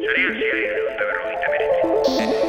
Sarean zehar 159.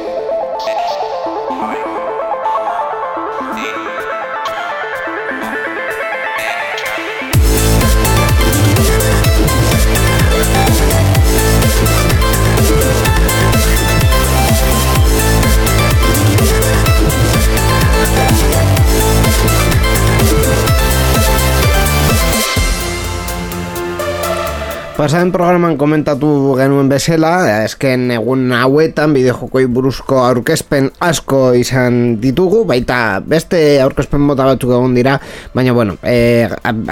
Pasaren programan komentatu genuen bezala, esken egun hauetan bideojokoi buruzko aurkezpen asko izan ditugu, baita beste aurkezpen mota batzuk egon dira, baina bueno,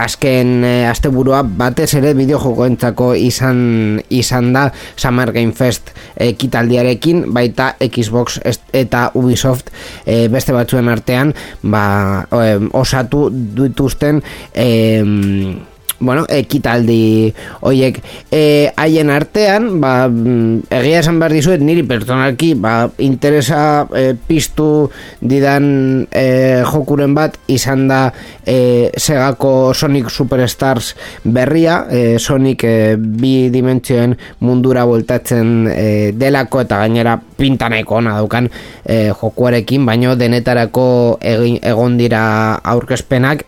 azken asteburua batez ere bideojokoentzako izan da Summer Game Fest ekitaldiarekin, baita Xbox eta Ubisoft beste batzuen artean osatu dituzten ekitaldi hoiek haien artean, egia esan behar dizuet, niri pertsonalki interesa piztu didan jokuren bat izan da Segako Sonic Superstars berria, Sonic bi dimentsioen mundura voltatzen delako eta gainera pinta nahiko ona daukan jokuarekin, baino denetarako egon dira aurkezpenak,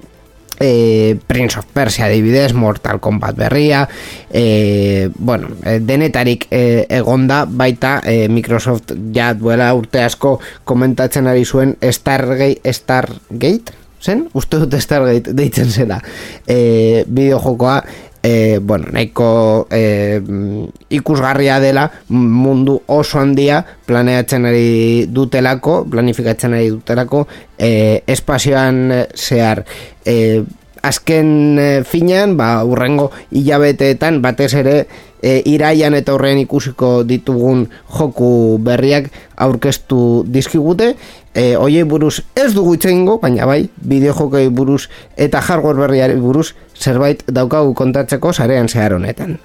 Prince of Persia adibidez, Mortal Kombat berria, denetarik egonda, baita Microsoft ja duela urte asko komentatzen ari zuen Stargate? Zen? Uste dut Stargate deitzen zela bideojokoa, nahiko ikusgarria dela, mundu oso handia planifikatzen ari dutelako espazioan zehar. Azken finean, urrengo hilabeteetan batez ere iraian eta horrean ikusiko ditugun joku berriak aurkeztu dizkigute. Hoiei buruz ez dugu hitz egingo, baina bai, bideojokei buruz eta hardware berriari buruz zerbait daukagu kontatzeko sarean zehar honetan.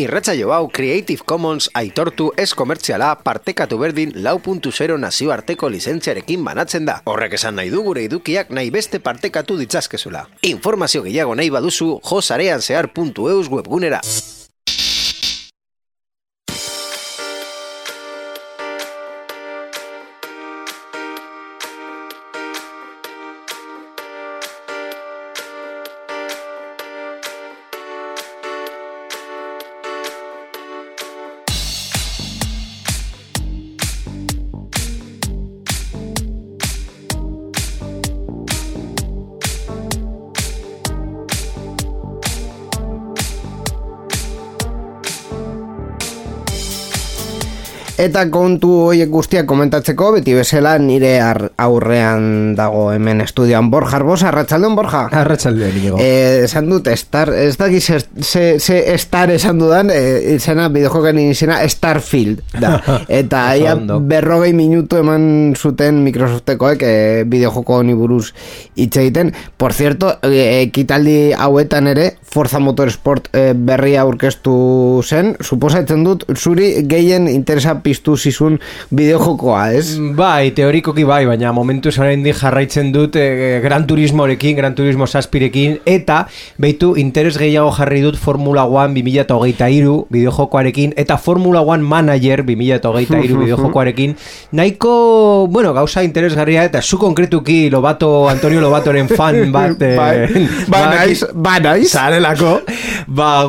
Irratsaio hau Creative Commons aitortu ez komertziala partekatu berdin 4.0 nazioarteko lizentziarekin banatzen da. Horrek esan nahi du gure edukiak nahi beste partekatu ditzazkezula. Informazio gehiago nahi baduzu josareanzehar.eus webgunera. Eta kontu horiek guztiak komentatzeko, beti bezala nire aurrean dago hemen estudioan Borja Arbosa. Arratsaldeon, Borja. Arratsaldeon, Inigo. Esan dut, ez dakiz Star esan dudan, izena, bideojokan izena Starfield da. Eta aia 40 minutu eman zuten Microsoftekoek bideojoko honi buruz hitz egiten. Por cierto, ekitaldi hauetan ere, Forza Motorsport berria aurkeztu zen. Suposatzen dut, zuri gehien interesa piztu zizun bideojokoa, ez? Bai, teorikoki bai, baina momentuz oraindik jarraitzen dut Gran Turismorekin, Gran Turismo 7rekin, eta beitu interes gehiago jarri dut Formula 1 2023 bideojokoarekin, eta Formula 1 Manager 2023 bideojokoarekin, nahiko, gauza interesgarria, eta zu konkretuki Antonio Lobatoren fan bat naiz zarelako,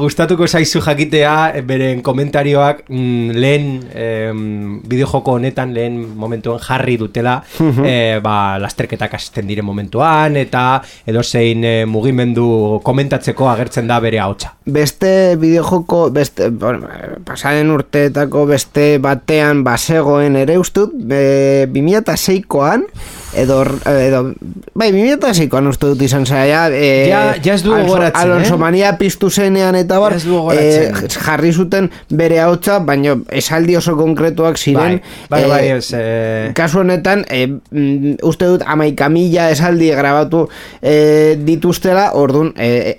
gustatuko zaizu jakitea beren komentarioak lehen bideojoko honetan lehen momentuen jarri dutela lasterketak hasten diren momentuan eta edozein mugimendu komentatzeko agertzen da bere ahotsa. Beste bideojoko, pasaren urteetako beste batean bazegoen ere ustut, 2006koan edo bai, 2006an uste dut izan zara, ja ez du gogoratzen, Alonso Mania piztu zenean eta bar, jarri zuten bere ahotsa, baina esaldi oso konkretuak ziren, kasu honetan, uste dut 11.000 esaldi grabatu dituztela, orduan,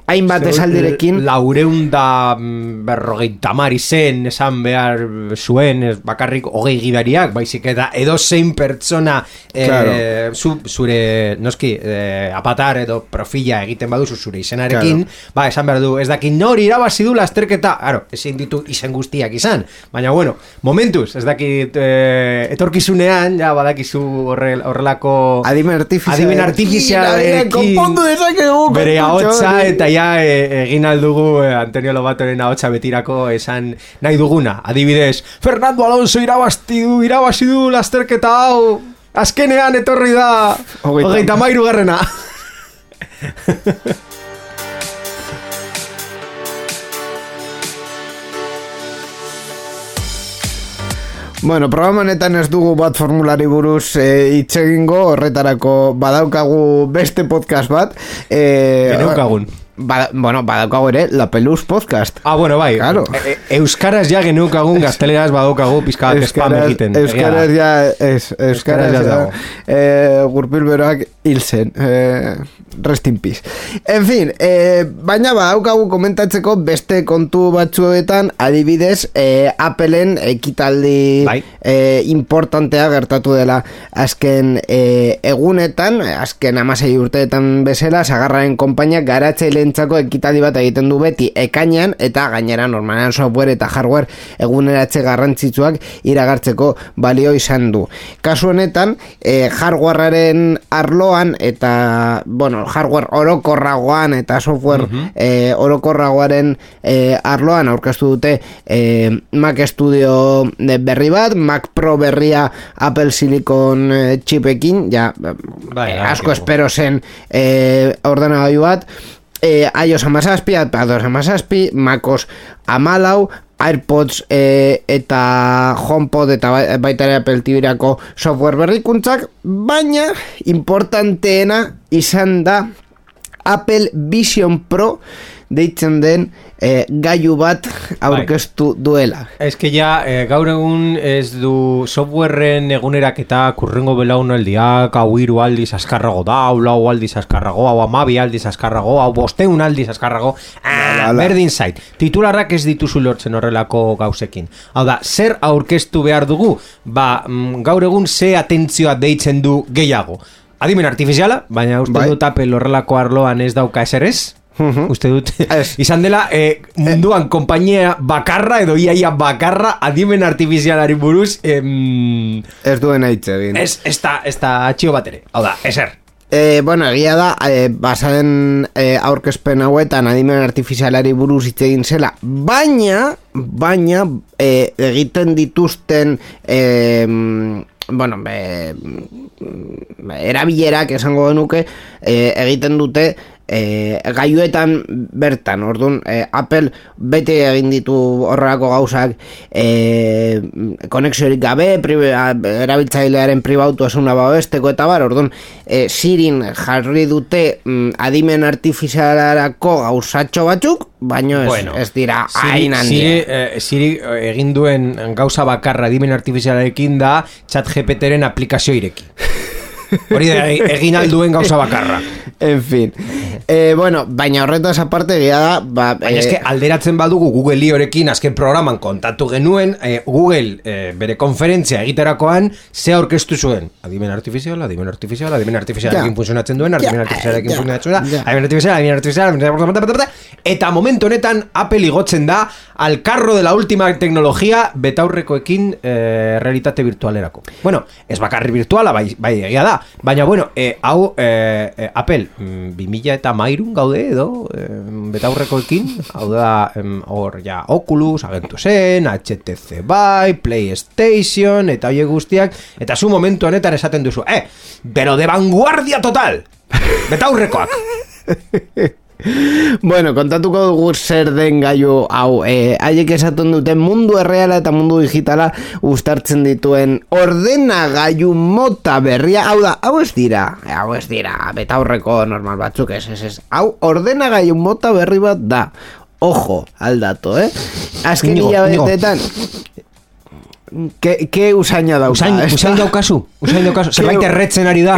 hainbat esaldirekin... 450 izen esan behar zuen, bakarrik 20 gidariak, baizik eta edo zein pertsona zure noski apatar edo profila egiten baduzu zure izenarekin, esan behar du, ez dakit nori irabazi du lasterketa, ezin ditu izen guztiak izan, baina bueno, momentuz, ez dakit etorkizunean, ja badakizu horrelako adimen artifizialekin bere ahotsa, eta ja egin aldugu Antonio Lobatoren ahotsa betirako esan nahi duguna, adibidez Fernando Alonso irabazi du lasterketa hau, azkenean etorri da 33 garrena. Bueno, programa honetan ez dugu bat formulari buruz hitz egingo, horretarako badaukagu beste podcast bat. Geneukagun. Badaukagu ere, La Peluz Podcast. Bueno, bai. Claro. Euskaraz ja geneukagun, gazteleraz badaukagu pizka spam egiten. Euskaraz dago. Gurpil beroak hil zen. Rest in peace. En fin, baina badaukagu komentatzeko beste kontu batzuetan, adibidez, Appleen ekitaldi importantea gertatu dela azken egunetan, azken 16 urteetan bezala, Sagarraren konpainia garatzailentzako ekitaldi bat egiten du beti ekainean, eta gainera normalean software eta hardware eguneratze garrantzitsuak iragartzeko balio izan du. Kasu honetan, hardwarearen arloan eta, hardware orokorragoan eta software orokorragoaren arloan aurkeztu dute Mac Studio berri bat, Mac Pro berria Apple Silicon chipekin, asko espero zen ordenagailu bat, iOS 17, iPadOS 17, MacOS 14, AirPods eta HomePod eta baita ere Apple TV-rako software berrikuntzak, baina importanteena izan da Apple Vision Pro deitzen den gailu bat aurkeztu duela. Ez que gaur egun ez du softwareen eguneraketa kurrengo belaunaldiak, hau 3 aldiz azkarrago da, hau 4 aldiz azkarrago, hau 12 aldiz azkarrago, hau 500 aldiz azkarrago, berdin zait. Titularrak ez dituzu lortzen horrelako gauzekin. Hau da, zer aurkeztu behar dugu? Gaur egun ze atentzioa deitzen du gehiago. Adimen artifiziala, baina uste dut Apple horrelako arloan ez dauka ezer ez? Uste dut izan dela munduan konpainia bakarra edo iaia bakarra adimen artifizialari buruz ez duen hitz egin, ez da atxio bat ere, hau da, ezer. Egia da, basaren aurkezpen hauetan adimen artifizialari buruz hitz egin zela, baina egiten dituzten erabilerak esango genuke egiten dute gailuetan bertan, orduan Apple bete egin ditu horrelako gauzak konexiorik gabe, erabiltzailearen pribautasuna babesteko eta bar, orduan Sirin jarri dute adimen artifizialarako gauzatxo batzuk, baina ez dira hain handia. Siri egin duen gauza bakarra adimen artifizialarekin da ChatGPTren aplikazio ireki. Hori da egin alduen gauza bakarra. En fin. Baina horretaz aparte egia da baina eske alderatzen badugu Google iorekin azken programan kontatu genuen Google bere konferentzia egiterakoan ze aurkeztu zuen adimen artifizialarekin funtzionatzen duen adimen artifiziala eta momentu honetan Apple igotzen da al carro de la última tecnología betaurrekoekin realitate virtualerako. Ez bakarri virtuala bai egia da, baina hau Apple 2013 gaude edo betaurrekoekin, hau da Oculus agentu zen, HTC bai, PlayStation eta horiek guztiak, eta zu momentu honetan esaten duzu pero de vanguardia total betaurrekoak. Bueno, kontatuko dugu zer den gailu hau. Haiek esaten duten mundu erreala eta mundu digitala uztartzen dituen ordenagailu mota berria. Hau ez dira betaurreko normal batzuk, ez. Hau ordenagailu mota berri bat da. Ojo, aldato, Azken hilabetetan... Ke usaina dauka. Usain daukazu. Zerbait erretzen ari da.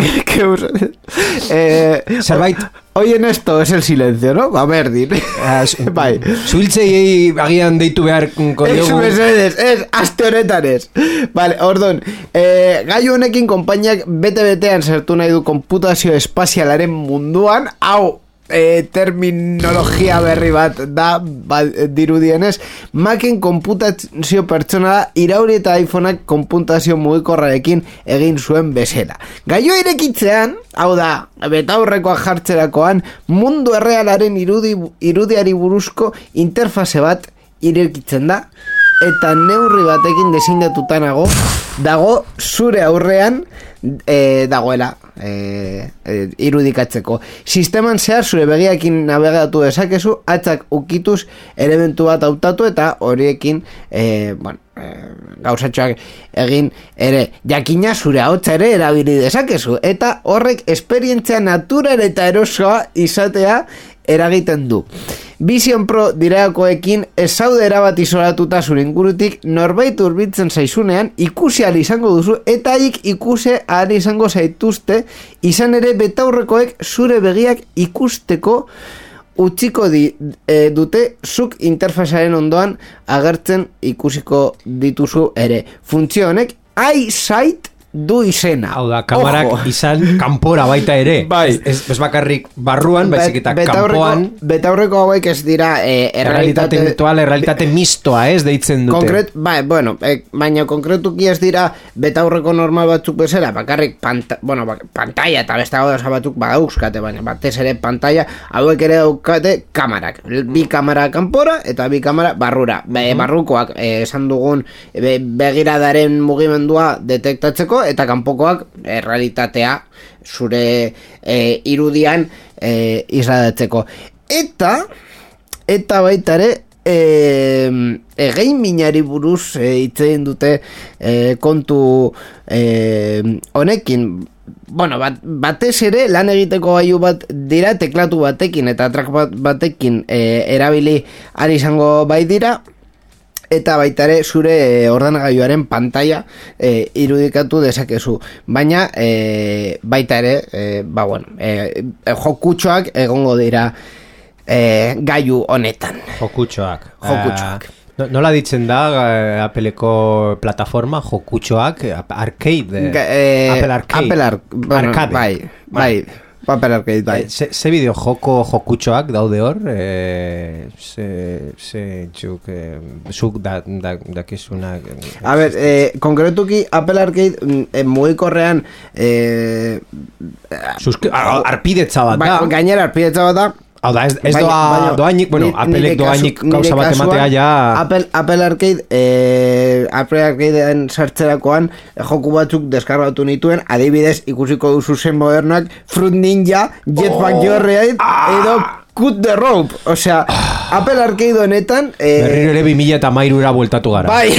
Zerbait. Oien esto es el silencio, ¿no? A ver, dir. Bai. Zuhiltzei agian deitu behar kodiogu. Ez, aste honetan ez. Vale, ordon. Gailu honekin konpainiak bete-betean sartu nahi du konputazio espazialaren munduan. Hau, terminologia berri bat da dirudienez, Macen konputazio pertsonala irauri eta iPhoneak konputazio mugikorrarekin egin zuen bezala. Gailu irekitzean, hau da, betaurrekoak jartzerakoan, mundu errealaren irudiari buruzko interfase bat irekitzen da, eta neurri batekin desindetutanago dago zure aurrean dagoela irudikatzeko. Sisteman zehar zure begiakin navegatu dezakezu, hatzak ukituz elementu bat hautatu eta horiekin gauzatxoak egin ere. Jakina zure ahotsa ere erabili dezakezu eta horrek esperientzia natural eta erosoa izatea eragiten du. Vision Pro direakoekin ez zaude erabat isolatuta zure ingurutik, norbait hurbiltzen zaizunean ikusi ahal izango duzu eta haiek ikusi ahal izango zaituzte, izan ere betaurrekoek zure begiak ikusteko utziko dute zuk interfasearen ondoan agertzen ikusiko dituzu ere. Funtzio honek eyesight du izena. Hau da, kamarak izan kanpora baita ere. Bai. Ez bakarrik barruan, baizik eta kanpoan. Betaurreko hauek ez dira errealitate virtual, errealitate mistoa, ez deitzen dute. Baina konkretuki ez dira betaurreko normal batzuk bezala, bakarrik pantalla eta beste gauza batzuk badauzkate, baina batez ere pantalla hauek ere daukate kamarak. Bi kamara kanpora eta bi kamara barrura. Barrukoak esan dugun begiradaren mugimendua detektatzeko eta kanpokoak realitatea zure irudian isladatzeko. Eta baita ere gamingari buruz hitzein dute kontu honekin. Batez ere lan egiteko gailu bat dira, teklatu batekin eta track batekin erabili ari izango bai dira. Eta baita ere zure ordenagailuaren pantalla irudikatu dezakezu. Baina baita ere jokutxoak egongo dira gailu honetan. Jokutxoak. Nola ditzen da Appleko plataforma jokutxoak? Arcade? Apple Arcade. Bai. Apple Arcade, bai. Ze bideo jokutxoak daude hor? Zuk dakizuna... A ber, konkretuki Apple Arcade mugikorrean arpidetza bat da. Gainera arpidetza bat da. Hau da, ez doainik, Applek doainik gauza bat ematea ja... Apple Arcadean sartzerakoan joku batzuk deskargatu nituen, adibidez ikusiko duzu zen modernak Fruit Ninja, Jetpack Joyride edo Cut the Rope. Osea, Apple Arcade honetan... Berriro ere 2013 bueltatu gara. Bai...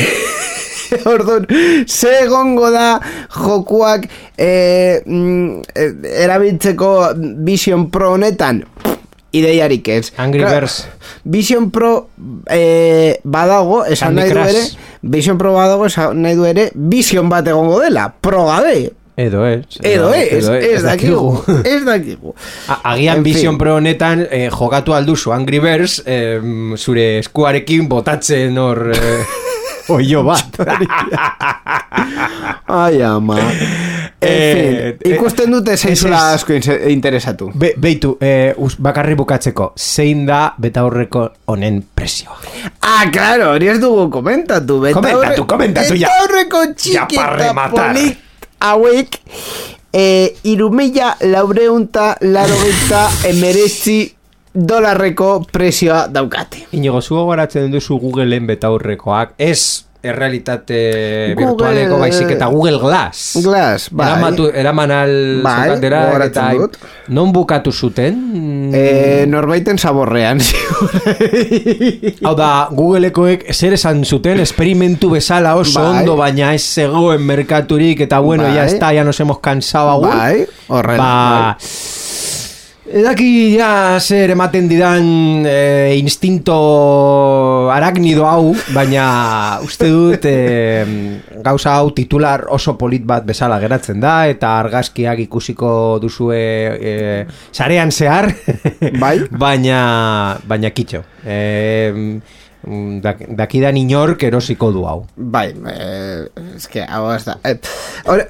Orduan, ze egongo da jokuak erabiltzeko Vision Pro honetan? Ideiarik ez. Angry Birds. Vision Pro badago, esan nahi du ere, Vision Pro badago, esan nahi du ere, Vision bat egongo dela, pro gabe. Edo ez. Ez dakigu. Agian Vision Pro honetan jokatu alduzu Angry Birds, zure eskuarekin botatzen hor... Oio bat. Ai, ama. Ikusten dute zeizula asko interesatu. Beitu, bakarri bukatzeko, zein da betaurreko honen presioa? Claro, hori ez dugu komentatu. Komentatu ya. Betaurreko txikita polit hauek 3.489 $, presioa daukate. Inigo, zu gogoratzen duzu Googleen betaurrekoak, ez errealitate virtualeko baizik eta Google Glass. Glass, bai. Eraman alzokatera, eta non bukatu zuten? Norbaiten zaborrean. Hau da, Googleekoek zer esan zuten, esperimentu bezala oso ondo, baina ez zegoen merkaturik, eta bueno, ya está, ya nos hemos cansado agur. Bai, horrela. Edaki ja zer ematen didan instinto araknido hau, baina uste dut gauza hau titular oso polit bat bezala geratzen da, eta argazkiak ikusiko duzue sarean zehar, bai? baina kitxo. Dakidan inork erosiko du hau. Bai, eske hau ez da.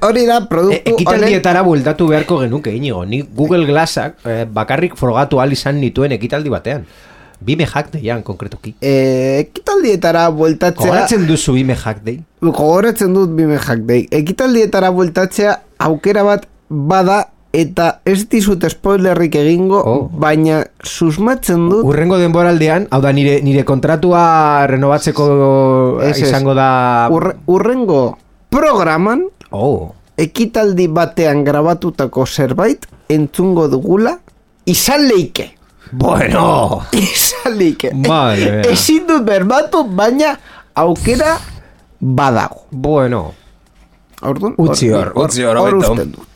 Hori da produktu ekitaldietara bueltatu beharko genuke, Inigo. Ni Google Glassak bakarrik frogatu ahal izan nituen ekitaldi batean. Bime Hack Dayan, konkretuki. Ekitaldietara bueltatzea... Gogoratzen duzu Bime Hack Day? Gogoratzen dut Bime Hack Day. Ekitaldietara bueltatzea aukera bat bada, eta ez dizut spoilerrik egingo, baina susmatzen dut... Urrengo denboraldean, hau da nire kontratua renovatzeko izango da... Urrengo programan, ekitaldi batean grabatutako zerbait, entzungo dugula, izan leike. Bueno! Izan leike. Vale. Ezin dut berbatu, baina aukera badago. Bueno. Utzi hor, usten dut.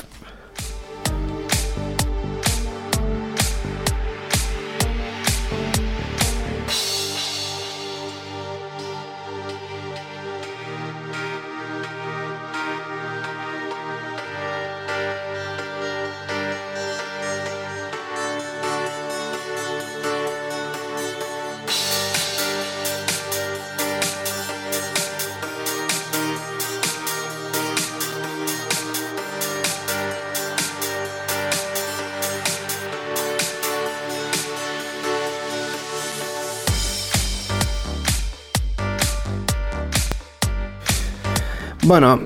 Bueno,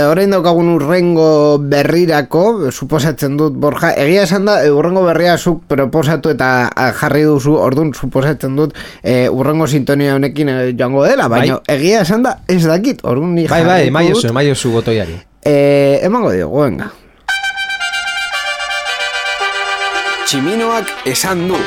orain daukagun urrengo berrirako, suposatzen dut, Borja, egia esan da, urrengo berria zuk proposatu eta jarri duzu, orduan suposatzen dut, urrengo sintonia honekin joango dela, baina egia esan da, ez dakit, orduan ni jarri dut. Bai, maiozu botoiari. Emango diogu, venga. Tximinoak esan du.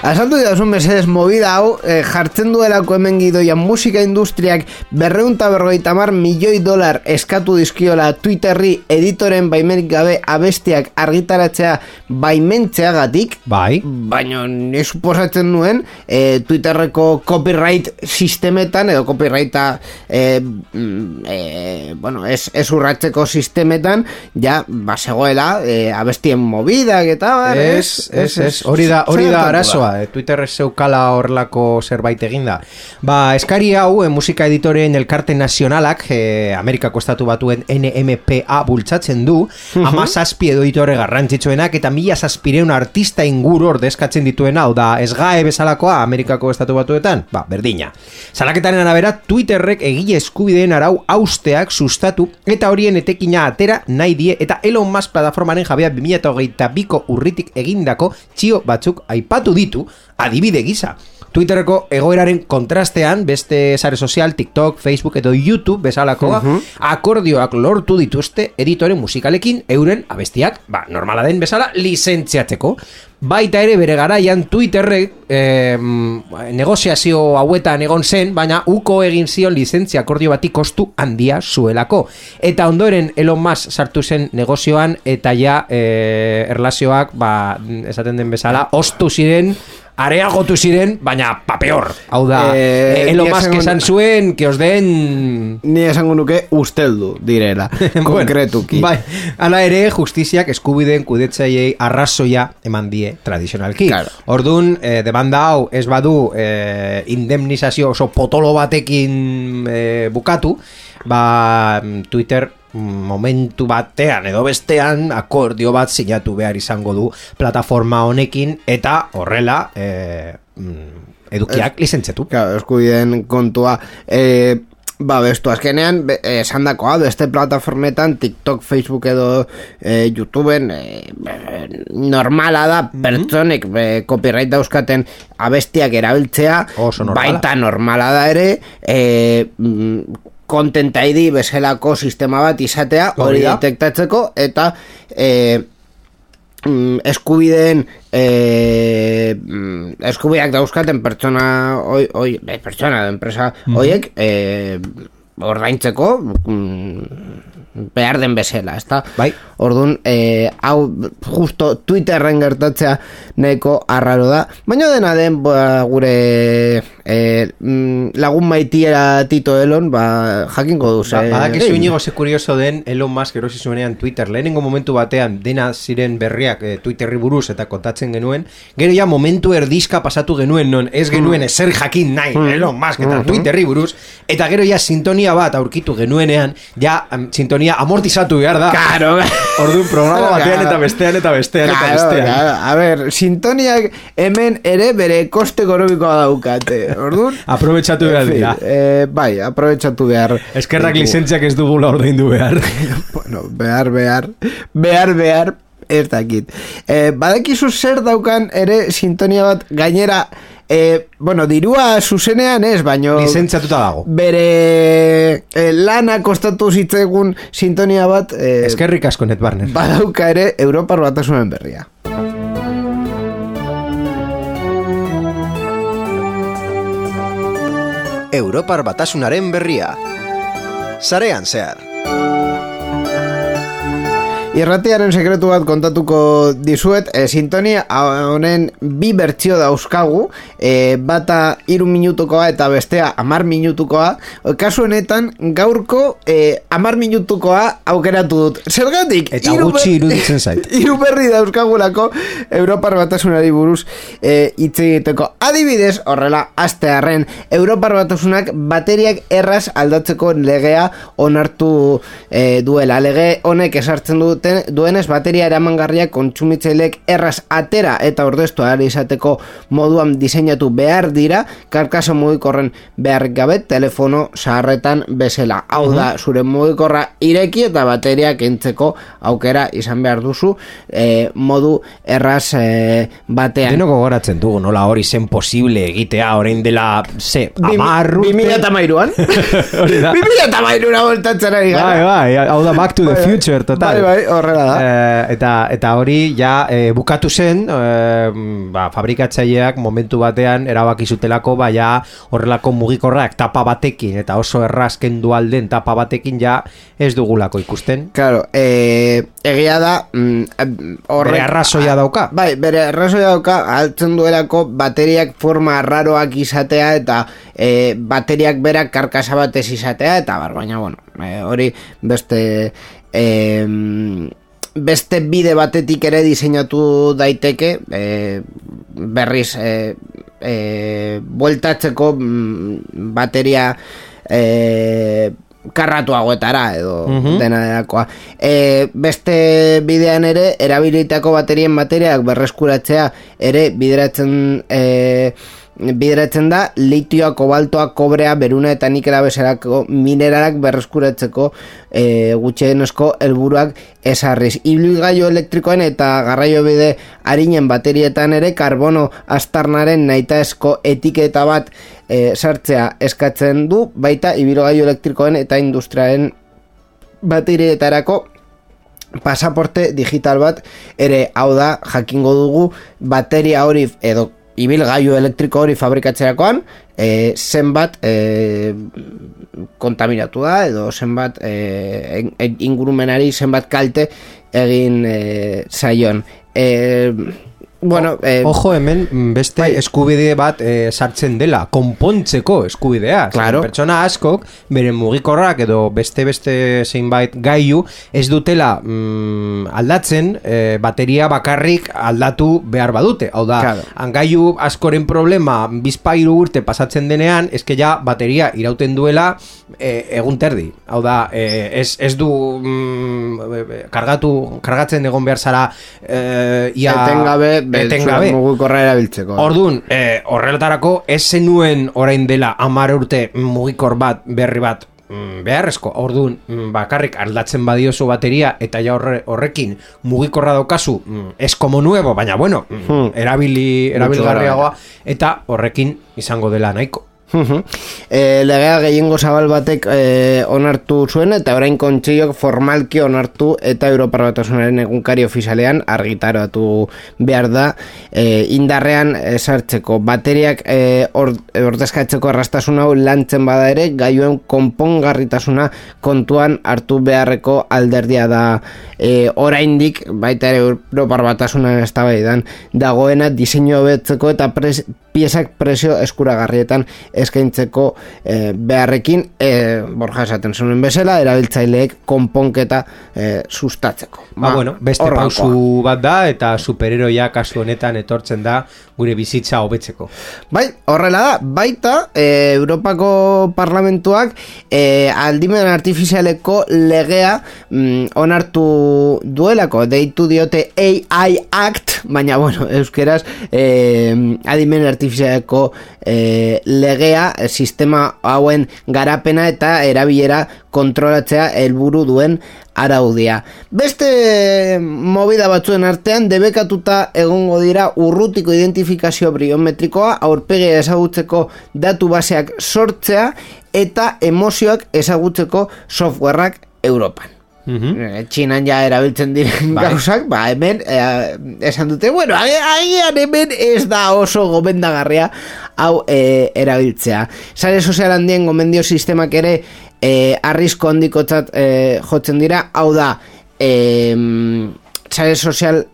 Asaltu didazun mesedez movida hau, jartzen duelako hemen gidoian musika industriak $250 milioi eskatu dizkiola Twitterri editoren baimenik gabe abestiak argitaratzea baimentzeagatik. Bai. Baina ni suposatzen nuen Twitterreko copyright sistemetan edo copyrighta bueno, ez urratzeko sistemetan ja basegoela abestien movidak eta hori da arazoa. Twitterrez zeukala horrelako zerbait eginda. Eskari hau musika editoreen elkarte nazionalak Amerikako estatu batuen NMPA bultzatzen du, 17 editore garrantzitsuenak eta 1,700 artista inguru ordezkatzen dituena, hau da SGAE bezalakoa Amerikako estatu batuetan, berdina. Salaketaren arabera, Twitterrek egile eskubideen arau hausteak sustatu eta horien etekina atera nahi die eta Elon Musk plataformaren jabea 2022ko urritik egindako txio batzuk aipatu ditu adibide gisa. Twitterreko egoeraren kontrastean beste sare sozial, TikTok, Facebook edo YouTube bezalakoa akordioak lortu dituzte editore musikalekin euren abestiak, normala den bezala, lizentziatzeko. Baita ere bere garaian Twitterrek negoziazio hauetan egon zen, baina uko egin zion lizentzia akordio bati kostu handia zuelako. Eta ondoren Elon Musk sartu zen negozioan eta ja erlazioak, esaten den bezala, ostu ziren, areagotu ziren, baina papeor. Hau da, Elon Musk esan zuen, que os den... Ni esango nuke usteldu direla, konkretuki. Hala ere, justiziak eskubideen kudetzaiei arrazoia eman die tradizionalki. Claro. Orduan, demanda hau ez badu indemnizazio oso potolo batekin bukatu, Twitter momentu batean edo bestean akordio bat sinatu behar izango du plataforma honekin eta horrela edukiak lizentziatu. Claro, eskubideen kontua bestu, azkenean, esan dakoa, beste plataformetan, TikTok, Facebook edo YouTubeen, normala da, pertsonek copyright dauzkaten abestiak erabiltzea, baita normala da ere, Content ID bezalako sistema bat izatea, hori detektatzeko, eta eskubideen eskubideak dauzkaten pertsona pertsona, enpresa horiek ordaintzeko behar den bezala, ezta? Bai. Orduan, hau justo Twitterren gertatzea nahiko arraro da, baina dena den gure lagun maitiera Tito Elon, jakingo duz. Badakizu inigo ze kurioso den Elon Musk erosi zuenean Twitter, lehenengo momentu batean dena ziren berriak Twitterri buruz eta kontatzen genuen, gero ja momentu erdizka pasatu genuen non, ez genuen ezer jakin nahi Elon Musk eta Twitterri buruz, eta gero ja sintonia bat aurkitu genuenean, ja sintonia amortizatu behar da. Claro. Orduan programa batean eta bestean eta bestean eta bestean. Claro. A ver, sintoniak hemen ere bere koste ekonomikoa daukate. Orduan, aprobetxatu behar dira. Bai, aprobetxatu behar. Eskerrak lizentziak ez dugula ordaindu behar. Bueno, behar, ez dakit. Badakizu zer daukan ere sintonia bat gainera, bueno, dirua zuzenean ez, baino lizentziatuta dago. Bere lana kostatu zitzegun sintonia bat eskerrik asko Net Barner. Badauka ere Europar Batasunen berria. Europar Batasunaren berria. Sarean zehar. Irratiaren sekretu bat kontatuko dizuet, sintonia honen bi bertsio dauzkagu, bata 3 minutukoa eta bestea 10 minutukoa. Kasu honetan gaurko 10 minutukoa aukeratu dut. Zergatik? Eta gutxi iruditzen zait. 3 berri dauzkagulako Europar Batasunari buruz hitz egiteko. Adibidez, horrela, astearren Europar Batasunak bateriak erraz aldatzeko legea onartu duela. Lege honek esartzen duenez bateria eramangarriak kontsumitzaileek erraz atera eta ordestu ahal izateko moduan diseinatu behar dira, karkasa mugikorren beharrik gabe telefono zaharretan bezala. Hau da, zure mugikorra ireki eta bateria kentzeko aukera izan behar duzu modu erraz batean. Denoko goratzen dugu, nola hori zen posible egitea orain dela 2013an? 2013an voltatzen ari gara. Bai, hau da Back to the Future, total. Bai, horrela da. Eta hori ja bukatu zen, fabrikatzaileak momentu batean erabaki zutelako ja horrelako mugikorrak tapa batekin eta oso erraz kendu alden tapa batekin ja ez dugulako ikusten. Claro, egia da bere arrazoia dauka. Bai, bere arrazoia dauka, altzen duelako bateriak forma raroak izatea eta bateriak berak karkasa batez izatea eta baina bueno, hori beste bide batetik ere diseinatu daiteke, berriz bueltatzeko bateria karratuagoetara edo dena delakoa. Beste bidean ere erabilitako baterien bateriak berreskuratzea ere bideratzen da litioa, kobaltoa, kobrea, beruna eta nikela bezalako mineralak berreskuratzeko gutxienezko helburuak ezarriz. Ibilgailu elektrikoen eta garraiobide arinen baterietan ere karbono astarnaren nahitaezko etiketa bat sartzea eskatzen du, baita ibilgailu elektrikoen eta industriaren baterietarako pasaporte digital bat ere. Hau da, jakingo dugu bateria hori edo ibilgailu elektriko hori fabrikatzerakoan zenbat kontaminatu da edo zenbat ingurumenari zenbat kalte egin zaion. Bueno, ojo, hemen beste eskubide bat sartzen dela, konpontzeko eskubidea. Claro. Pertsona askok beren mugikorrak edo beste zeinbait gailu ez dutela aldatzen bateria bakarrik aldatu behar badute. Hau da, claro. Gailu askoren problema bizpairu urte pasatzen denean, eske ja bateria irauten duela egun terdi. Hau da, ez du kargatzen egon behar zara etengabe mugikorra erabiltzeko. Orduan, horrelatarako ez zenuen orain dela 10 urte mugikor bat berri bat beharrezko. Orduan, bakarrik aldatzen badiozu bateria eta ja horrekin mugikorra daukazu, ez como nuevo, baina bueno, erabilgarriagoa, eta horrekin izango dela nahiko. Legea gehiengo zabal batek onartu zuen eta orain kontseiok formalki onartu eta Europar Batasunaren egunkari ofizialean argitaratu behar da indarrean sartzeko bateriak ordezkatzeko erraztasun hau lantzen bada ere gailuen konpongarritasuna kontuan hartu beharreko alderdia da oraindik baita ere Europar Batasunan eztabaidan dagoena diseinu hobetzeko eta piezak presio eskuragarrietan eskaintzeko beharrekin Borja esaten zuen bezala erabiltzaileek konponketa sustatzeko. Bueno, beste pausu bat da eta superheroia kasu honetan etortzen da gure bizitza hobetzeko. Bai, horrela da, baita Europako Parlamentuak aldimen artifizialeko legea onartu duelako, deitu diote AI Act, baina bueno, euskeraz adimen artifizialeko legea sistema hauen garapena eta erabilera kontrolatzea helburu duen araudia. Beste movida batzuen artean debekatuta egongo dira urrutiko identifikazio biometrikoa, aurpegia ezagutzeko datu baseak sortzea eta emozioak ezagutzeko softwareak Europan. Txinan ja erabiltzen diren gauzak, hemen esan dute, bueno, agian hemen ez da oso gomendagarria hau erabiltzea. Sare sozial handien gomendio sistemak ere arrisko handikotzat jotzen dira, hau da sare sozial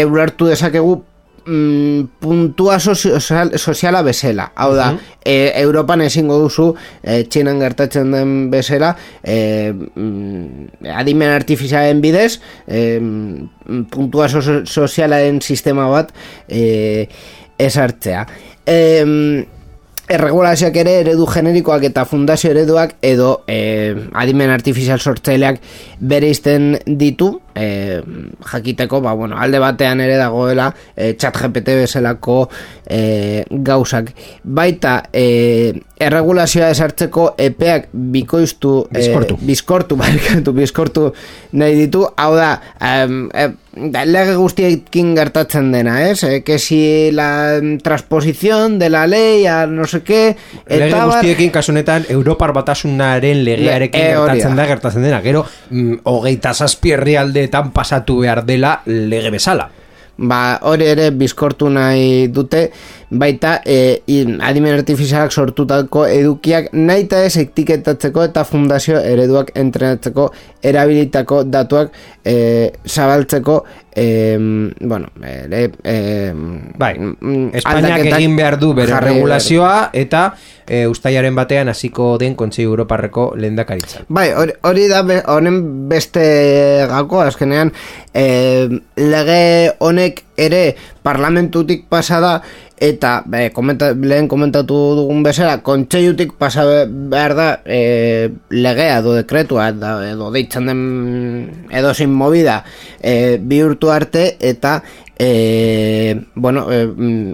ulertu dezakegu puntua soziala bezala, hau da Europan ezingo duzu Txinan gertatzen den bezala adimen artifizialen bidez puntua sozialaren sistema bat esartzea. Erregulazioak ere eredu generikoak eta fundazio ereduak edo adimen artifizial sortzaileak bereizten ditu, jakiteko, alde batean ere dagoela ChatGPT bezalako gauzak. Baita erregulazioa esartzeko epeak bizkortu nahi ditu, hau da lege guztiekin gertatzen dena, que si la transposición de la ley a no sé qué, lege guztiekin kasunetan Europar Batasunaren legearekin gertatzen dena, gero 27 herrialdeetan pasatu behar dela lege bezala. Hori ere bizkortu nahi dute, baita adimen artifizialak sortutako edukiak nahita ez etiketatzeko eta fundazio ereduak entrenatzeko erabilitako datuak zabaltzeko Espainiak egin behar du bere regulazioa eta uztailaren batean hasiko den Kontseilu Europarreko lehendakaritzan. Hori da honen beste gako, azkenean lege honek ere parlamentutik pasada eta lehen komentatu dugun bezala kontseilutik pasa behar da legea edo dekretua edo deitzen den edo sin movida bihurtu arte eta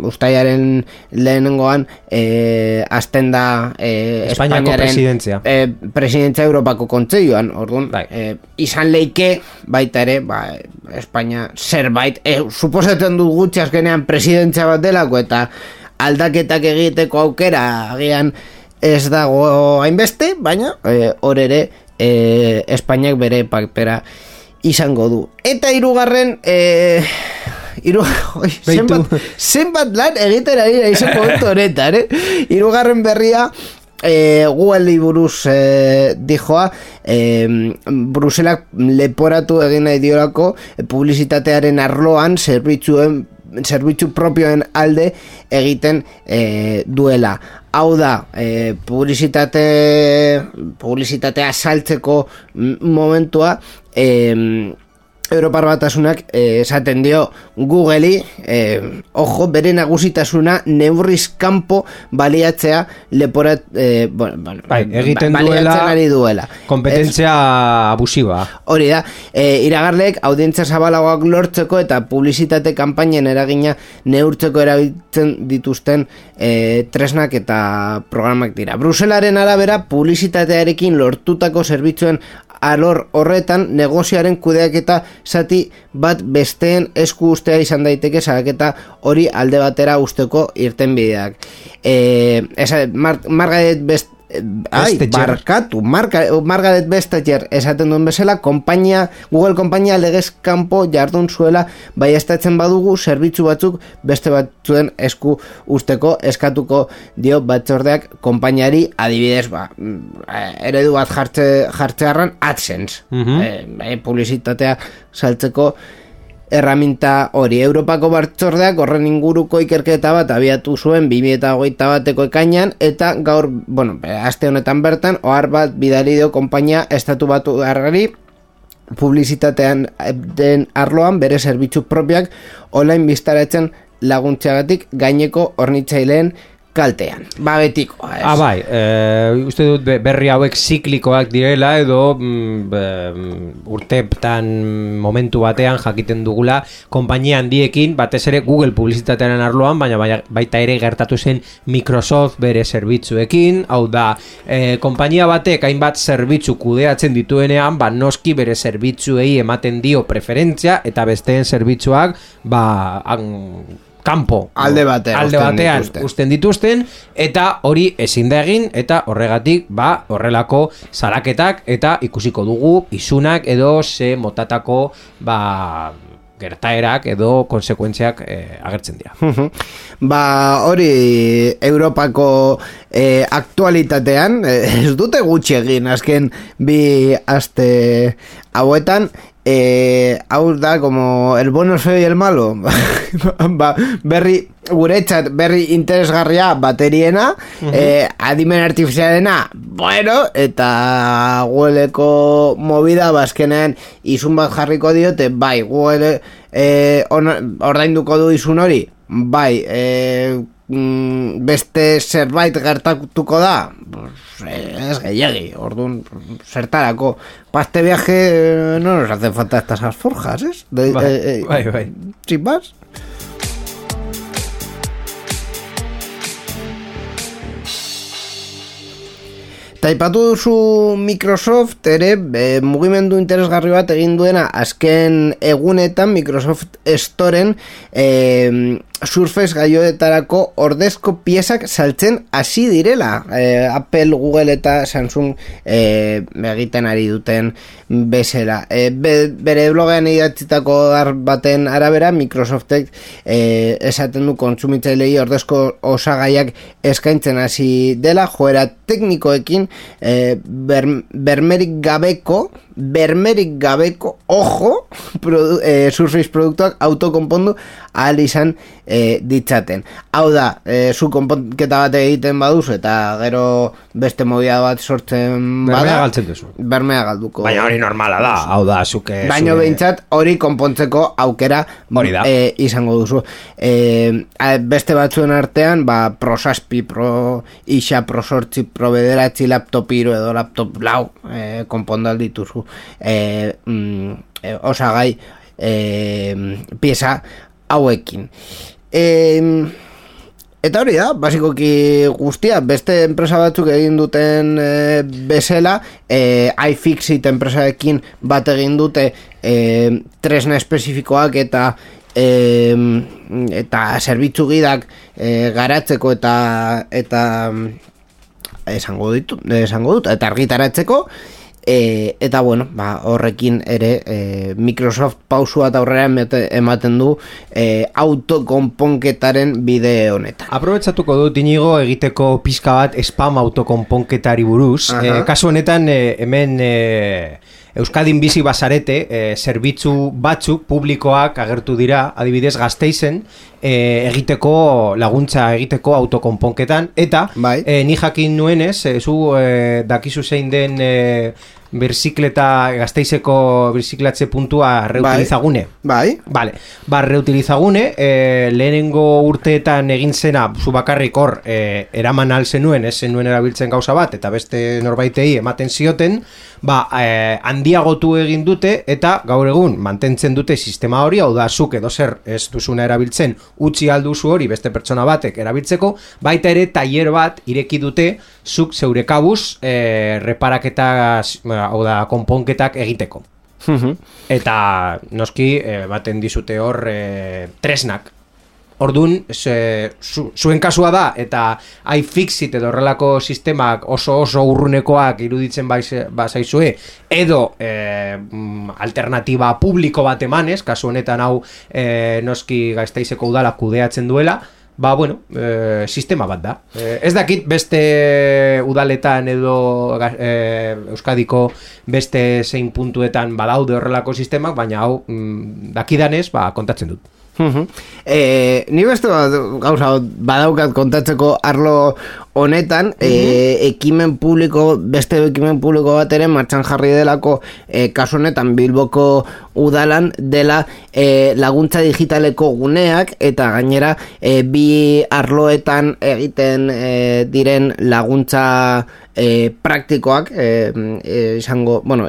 uztailaren lehenengoan hasten da Espainiako presidentzia Europako kontseiluan, orduan izan leike baita ere Espainia zerbait suposatzen dut gutxi azkenean presidentzia bat delako eta aldaketak egiteko aukera agian ez dago hainbeste, baina hor ere Espainiak bere papera izango du. Eta hirugarren zenbat lan egiten ari izan momentu honetan, hirugarren berria Google buruz dijoa, Bruselak leporatu egin nahi diolako publizitatearen arloan zerbitzu propioen alde egiten duela. Hau da, publizitatea saltzeko momentua Europar Batasunak esaten dio Googleri, ojo, bere nagusitasuna neurriz kanpo baliatzea leporat, egiten duela. Kompetentzia abusiba. Hori da, iragarleek audientzia zabalagoak lortzeko eta publizitate kanpainen eragina neurtzeko erabiltzen dituzten tresnak eta programak dira. Bruselaren arabera, publizitatearekin lortutako zerbitzuen alor horretan negozioaren kudeaketa zati bat besteen esku ustea izan daiteke salaketa hori alde batera usteko irtenbideak. Margaret Vestager esaten duen bezala, Google konpainia legez kanpo jardun zuela baieztatzen badugu zerbitzu batzuk beste batzuen esku usteko eskatuko dio batzordeak konpainiari, adibidez eredu bat jartzearran AdSense, publizitatea saltzeko erraminta hori. Europako batzordeak horren inguruko ikerketa bat abiatu zuen 2021ko ekainean, eta gaur, aste honetan bertan, ohar bat bidali dio konpainia estatu batuarrari publizitatean den arloan bere zerbitzu propioak online biztaratzen laguntzeagatik gaineko hornitzaileen kaltean. Betiko. Uste dut berri hauek ziklikoak direla edo urteetan momentu batean jakiten dugula konpainia handiekin, batez ere Google publizitatearen arloan, baina baita ere gertatu zen Microsoft bere zerbitzuekin, hau da, konpainia batek hainbat zerbitzu kudeatzen dituenean, noski bere zerbitzuei ematen dio preferentzia eta besteen zerbitzuak kanpo, alde batean usten dituzten, eta hori ezin da egin, eta horregatik horrelako salaketak eta ikusiko dugu isunak edo ze motatako gertaerak edo konsekuentziak agertzen dira. Hori Europako aktualitatean ez dute gutxi egin azken bi aste hauetan. Hau da, como el bueno, el feo y el malo. Guretzat berri interesgarria bateriena, adimen artifizialena, eta Googleko movida bazkenean izun bat jarriko diote, Google ordainduko du izun hori, beste zerbait gertatuko da, ez gehiagi, orduan zertarako, para este viaje no nos hacen falta estas alforjas, ¿es? Sin más. Taipatu duzu Microsoft ere mugimendu interesgarri bat egin duena azken egunetan Microsoft Storen Surface gaioetarako ordezko piezak saltzen hasi direla. Apple, Google eta Samsung egiten ari duten bezala. Bere blogean idatzitako baten arabera, Microsoftek esaten du kontsumitzailei ordezko osagaiak eskaintzen hasi dela, joera teknikoekin bermerik gabeko ojo Surface produktuak autokonpondu ahal izan ditzaten. Hau da, zu konponketa bat egiten baduzu eta gero beste movida bat sortzen bada, bermea galtzen duzu. Bermea galduko. Baina hori normala da. Hau da, zuke. Baina behintzat hori konpontzeko aukera izango duzu. Beste batzuen artean, Pro 6, Pro Ixa, Pro 8, Pro 9, laptop hiru edo laptop lau konpondal dituzu. Osagai pieza hauekin. Eta hori da, basikoki guztia, beste enpresa batzuk egin duten bezala, iFixit enpresarekin bat egin dute tresna espezifikoak eta zerbitzu gidak garatzeko eta esango dut, eta argitaratzeko. Eta horrekin ere Microsoft pausua eta aurrera ematen du autokonponketaren bide honetan. Aprobetxatuko dut Inigo egiteko pizka bat spam autokonponketari buruz. Kasu honetan hemen Euskadin bizi bazarete zerbitzu batzuk publikoak agertu dira, adibidez Gasteizen laguntza egiteko autokonponketan, eta ni jakin nuenez, zu dakizu zein den Gasteizeko birziklatze puntua reutilizagune. Bai. Vale. Reutilizagune, lehenengo urteetan egin zena, zu bakarrik hor, eraman alzenuen, ez zenuen erabiltzen gauza bat, eta beste norbaitei ematen zioten, handiagotu egin dute, eta gaur egun mantentzen dute sistema hori, hau da, zuk edo zer ez duzuna erabiltzen, utzi alduzu hori beste pertsona batek erabiltzeko, baita ere tailer bat ireki dute, zuk zeure kabuz, reparaketa, hau da, konponketak egiteko. Eta noski baten dizute hor tresnak. Ordun zuen kasua da eta iFixit edo horrelako sistemak oso urrunekoak iruditzen bazaizue edo alternatiba publiko bat emanez, kasu honetan hau noski Gasteizeko udala kudeatzen duela, sistema bat da. Ez dakit beste udaletan edo Euskadiko beste zein puntuetan badaude horrelako sistemak, baina hau dakidanez kontatzen dut. Ni beste gauza badaukat kontatzeko arlo honetan, ekimen publiko, beste ekimen publiko bat ere martxan jarri delako, kasu honetan Bilboko udalan dela laguntza digitaleko guneak, eta gainera bi arloetan egiten diren laguntza praktikoak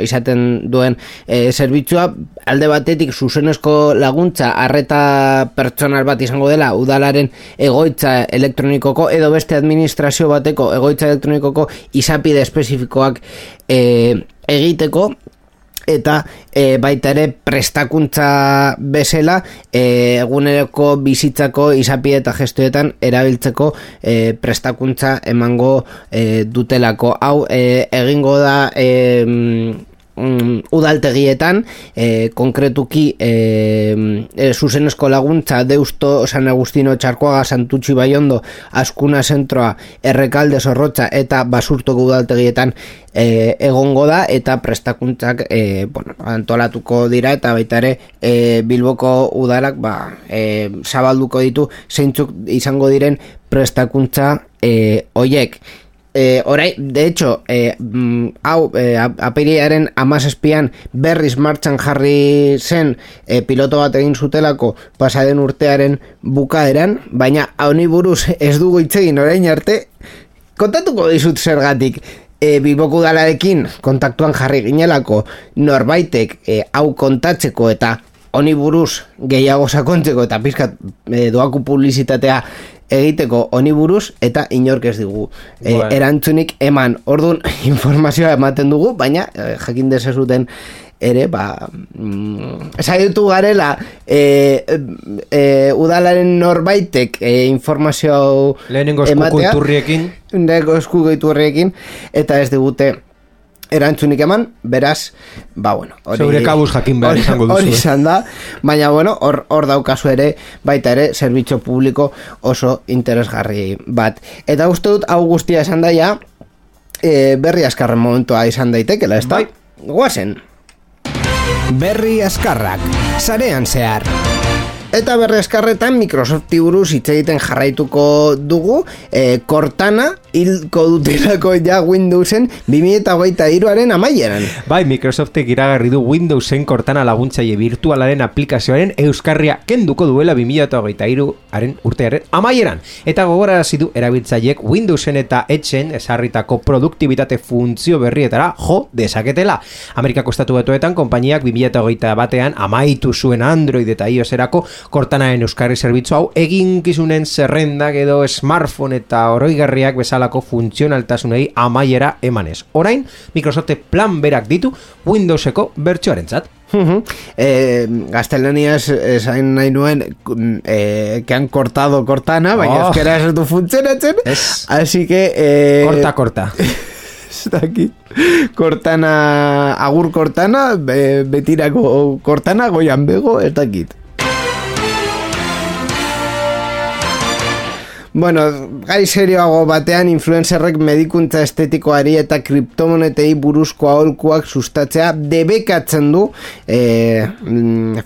izaten duen zerbitzua, alde batetik zuzenezko laguntza arreta pertsonal bat izango dela udalaren egoitza elektronikoko edo beste administrazio bateko egoitza elektronikoko izapide espezifikoak egiteko, eta baita ere prestakuntza bezala eguneroko bizitzako izapide eta gestoetan erabiltzeko prestakuntza emango dutelako. Hau egingo da udaltegietan, konkretuki zuzenezko laguntza Deusto, San Agustino, Txarkoaga, Santutxi, Baiondo, Azkuna Zentroa, Errekalde, Zorrotza eta Basurtoko udaltegietan egongo da, eta prestakuntzak antolatuko dira, eta baita ere Bilboko udalak zabalduko ditu zeintzuk izango diren prestakuntza hoiek. Orai, de hecho, apirilaren 17an berriz martxan jarri zen piloto bat egin zutelako pasaden urtearen bukaeran, baina honi buruz ez dugu hitz egin orain arte. Kontatuko dizut zergatik. Bilboko udalarekin kontaktuan jarri ginelako norbaitek hau kontatzeko eta honi buruz gehiago sakontzeko eta pizkat doaku publizitatea egiteko honi buruz, eta inork ez digu erantzunik eman. Orduan informazioa ematen dugu, baina jakin dezazuten ere saiatu garela udalaren norbaitek informazio lehenengo eskuiturriekin eta ez digute erantzunik eman, beraz, zeure kabuz jakin behar izango duzu. Hori izan da, baina hor daukazu ere, baita ere, zerbitzu publiko oso interesgarri bat. Eta uste dut, hau guztia esan daia, berri askarren momentua izan daitekela, ez da? Guazen! Berri askarrak, sarean zehar. Eta berri askarretan Microsofti buruz hitz egiten jarraituko dugu, Cortana hilko dutelako ja Windowsen 2023aren amaieran. Bai, Microsoftek iragarri du Windowsen Cortana laguntzaile virtualaren aplikazioaren euskarria kenduko duela 2023aren urtearen amaieran. Eta gogorarazi du erabiltzaileek Windowsen eta Edgen ezarritako produktibitate funtzio berrietara jo dezaketela. Amerikako Estatu Batuetan konpainiak 2021an amaitu zuen Android eta iOS-erako Cortanaren euskarri zerbitzu hau eginkizunen zerrendak edo smartphone eta oroigarriak bezalako funtzionaltasunei amaiera emanez. Orain, Microsoftek plan berak ditu Windowseko bertsioarentzat. Gaztelaniaz esain nahi nuen que han cortado Cortana, baina euskera ez du funtzionatzen, así que corta ez dakit Cortana, agur Cortana, betirako Cortana, goian bego, ez dakit. Bueno, gai serioago batean influencerrek medikuntza estetikoari eta kriptomonetei buruzko aholkuak sustatzea debekatzen du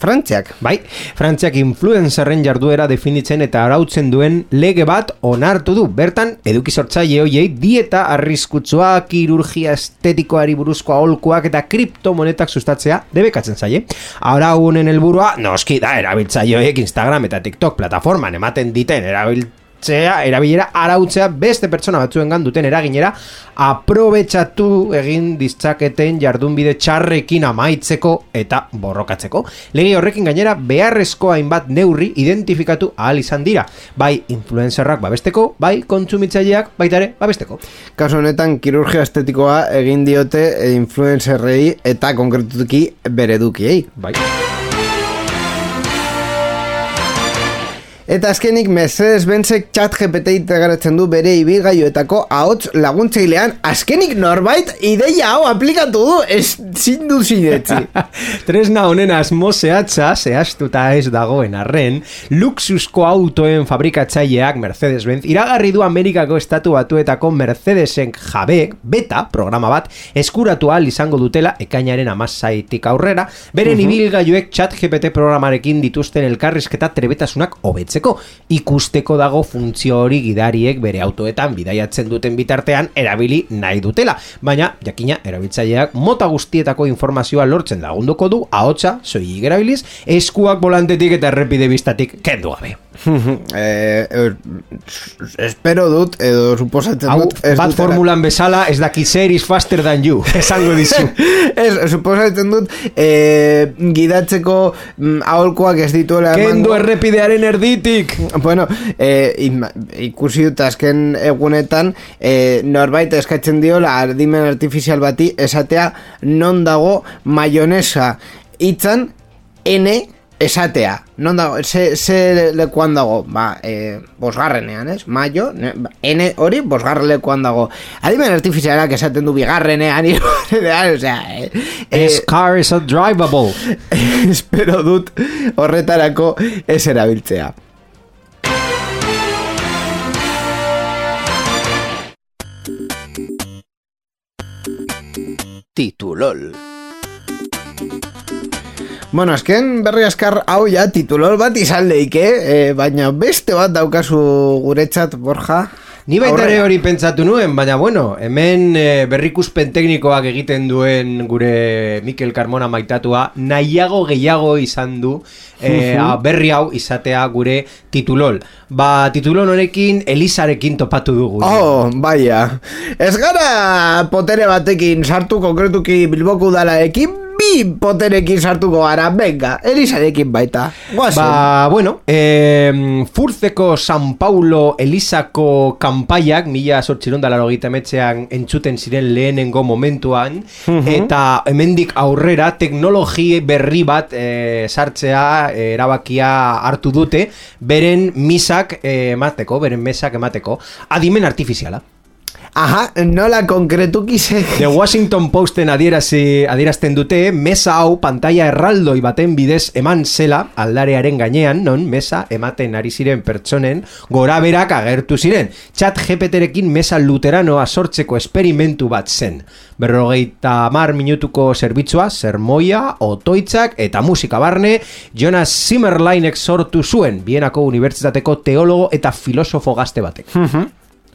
Frantziak. Bai, Frantziak influencerren jarduera definitzen eta arautzen duen lege bat onartu du. Bertan, eduki sortzaile hoiei dieta arriskutsua, kirurgia estetikoari buruzko aholkuak eta kriptomonetak sustatzea debekatzen zaie. Arau honen helburua, noski da, erabiltzaileek Instagram eta TikTok plataforman ematen diten erabilera arautzea beste pertsona batzuengan duten eraginera aprobetxatu egin ditzaketen jardunbide txarrekin amaitzeko eta borrokatzeko. Lege horrekin gainera beharrezko hainbat neurri identifikatu ahal izan dira. Bai influencerrak babesteko, bai kontsumitzaileak baita ere babesteko. Kasu honetan kirurgia estetikoa egin diote influencerrei eta konkretuki bere edukiei. Bai. Eta azkenik Mercedes-Benzek ChatGPT integratzen du bere ibilgailuetako ahots laguntzailean. Azkenik norbait ideia hau aplikatu du, ez zindu zinetzi. Tresna honen asmo zehatza, zehaztuta ez dagoen arren, luxusko autoen fabrikatzaileak Mercedes-Benz iragarri du Amerikako estatu batuetako Mercedesen jabek beta programa bat eskuratu ahal izango dutela ekainaren 17 aurrera, beren ibilgailuek ChatGPT programarekin dituzten elkarrizketa trebetasunak hobetzen. Ikusteko dago funtzio hori gidariek bere autoetan bidaiatzen duten bitartean erabili nahi dutela, baina jakina erabiltzaileak mota guztietako informazioa lortzen lagunduko du ahotsa soilik erabiliz, eskuak volantetik eta errepide bistatik kendu gabe. Espero dut edo suposatzen dut bat formulan bezala ez daki zer is faster than you esango dizu. Suposatzen dut gidatzeko aholkoak ez dituela kendu errepidearen erditik. Bueno, ikusi dut azken egunetan norbait eskatzen diola adimen artifizial bati esatea non dago mayonesa hitzan N esatea, non dago, ze lekuan dago, bosgarrenean, ez? Maio, N hori, bosgarren lekuan dago. Adimen artifizialak esaten du bigarrenean, osea... This car is a drivable. Espero dut horretarako ez erabiltzea. Titulol. Bueno, azken berri askar hau ja titulol bat izan leike, baina beste bat daukazu guretzat, Borja. Ni baita ere hori pentsatu nuen, baina bueno, hemen berrikuspen teknikoak egiten duen gure Mikel Carmona maitatua nahiago gehiago izan du berri hau izatea gure titulol. Titulol honekin Elisarekin topatu dugu. Oh, baia. Ez gara potere batekin sartu konkretuki Bilboko udalarekin, bi poterekin sartuko gara, venga, Elisarekin baita. Bueno, Furzeko San Paulo Elisako kanpaiak 1889an entzuten ziren lehenengo momentuan, eta hemendik aurrera teknologi berri bat sartzea erabakia hartu dute beren mesak emateko, adimen artifiziala. Aha, nola konkretuki ze... The Washington Posten adierazten dute, mesa hau pantaila erraldoi baten bidez eman zela aldarearen gainean, non mesa ematen ari ziren pertsonen goraberak agertu ziren. ChatGPTrekin mesa luteranoa sortzeko esperimentu bat zen. 50 minutuko zerbitzua, sermoia, otoitzak eta musika barne, Jonas Zimmerleinek sortu zuen, Bienako Unibertsitateko teologo eta filosofo gazte batek.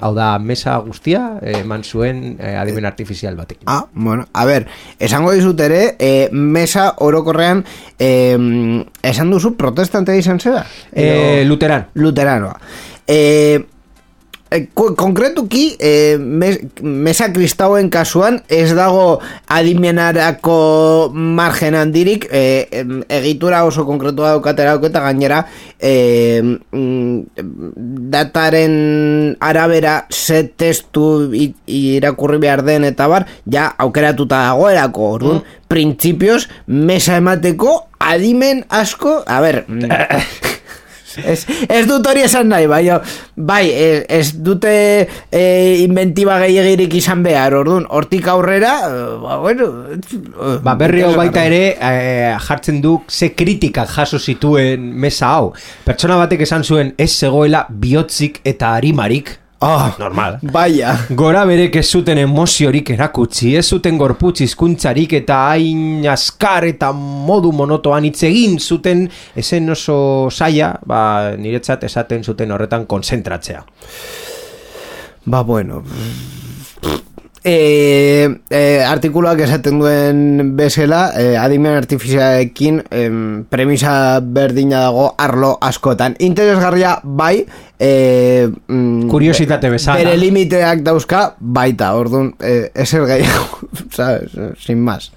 Hau da, mesa guztia eman zuen adimen artifizial batek. Bueno, a ver, esango dizut ere, mesa orokorrean esan duzu protestante izan zera? Luteranoa. Konkretuki mesa kristauen kasuan ez dago adimenarako margen handirik, egitura oso konkretua daukatera eta gainera dataren arabera ze testu irakurri behar den eta bar, ja aukeratuta dagoerako, orduan, printzipioz mesa emateko adimen asko, a ber... Ez dut hori esan nahi, bai, ez dute inventiba gehiagirik izan behar, orduan, hortik aurrera, berri hau baita ere, jartzen du ze kritikak jaso zituen mesa hau. Pertsona batek esan zuen ez zegoela bihotzik eta arimarik. Normal. Baia. Gora berek ez zuten emoziorik erakutsi, ez zuten gorputz hizkuntzarik eta hain askar eta modu monotoan hitz egin zuten esen oso saia, niretzat esaten zuten horretan konzentratzea. Bueno. Artikuluak esaten duen bezala, adimen artifizialekin premisa berdina dago arlo askotan. Interesgarria bai, kuriositate bezala. Bere limiteak dauzka baita, orduan, ezer gehiago, ¿sabes? Sin más.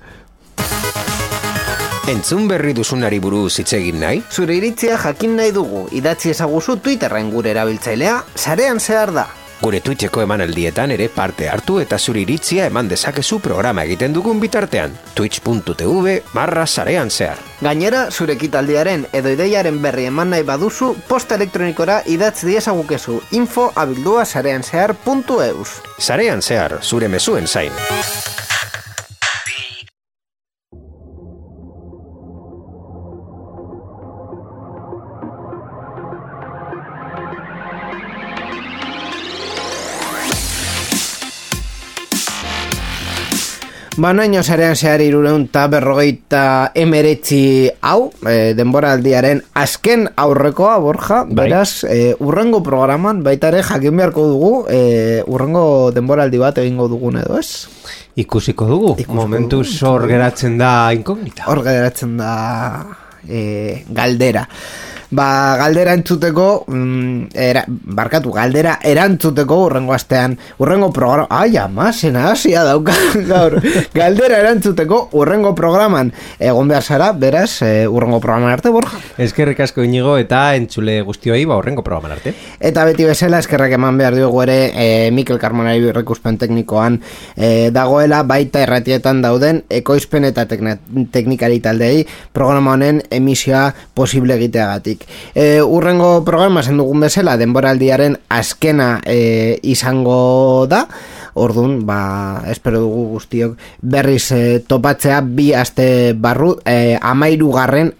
Entzun berri duzunari buruz hitz egin nahi? Zure iritzia jakin nahi dugu, idatzi ezaguzu Twitterren gure erabiltzailea, sarean zehar da. Gure Twitcheko emanaldietan ere parte hartu eta zure iritzia eman dezakezu programa egiten dugun bitartean. twitch.tv/sarean zehar. Gainera, zure ekitaldiaren edo ideiaren berri eman nahi baduzu, posta elektronikora idatz diezagukezu info@sareanzehar.eus. Sarean zehar, zure mezuen zain. Banaino sarean zehar 359 hau, denboraldiaren azken aurrekoa, Borja, beraz, urrengo programan baitare jakin beharko dugu, urrengo denboraldi bat egingo dugun edo ez? Ikusiko dugu, momentuz hor geratzen da inkognita. Hor geratzen da galdera. Galdera entzuteko galdera erantzuteko urrengo astean, urrengo programa zena hasia dauka gaur, galdera erantzuteko urrengo programan egon behar zara, beraz urrengo programan arte, Borja. Eskerrik asko Inigo eta entzule guztioi urrengo programan arte. Eta beti bezala eskerrak eman behar diogu ere Mikel Carmonari berrikuspen teknikoan dagoela, baita erratietan dauden ekoizpen eta teknikari taldei programa honen emisioa posible egiteagatik. Urrengo programa zen dugun bezala denboraldiaren azkena izango da, orduan, espero dugu guztiok berriz topatzea bi aste barru, 13.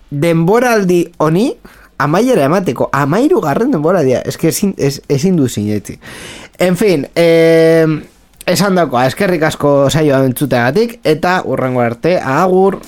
denboraldi honi amaiera emateko, 13. denboraldia, eske ezin du sinetzi. En fin, esan dakoa, eskerrik asko saioa entzuteagatik, eta urrengo arte, agur!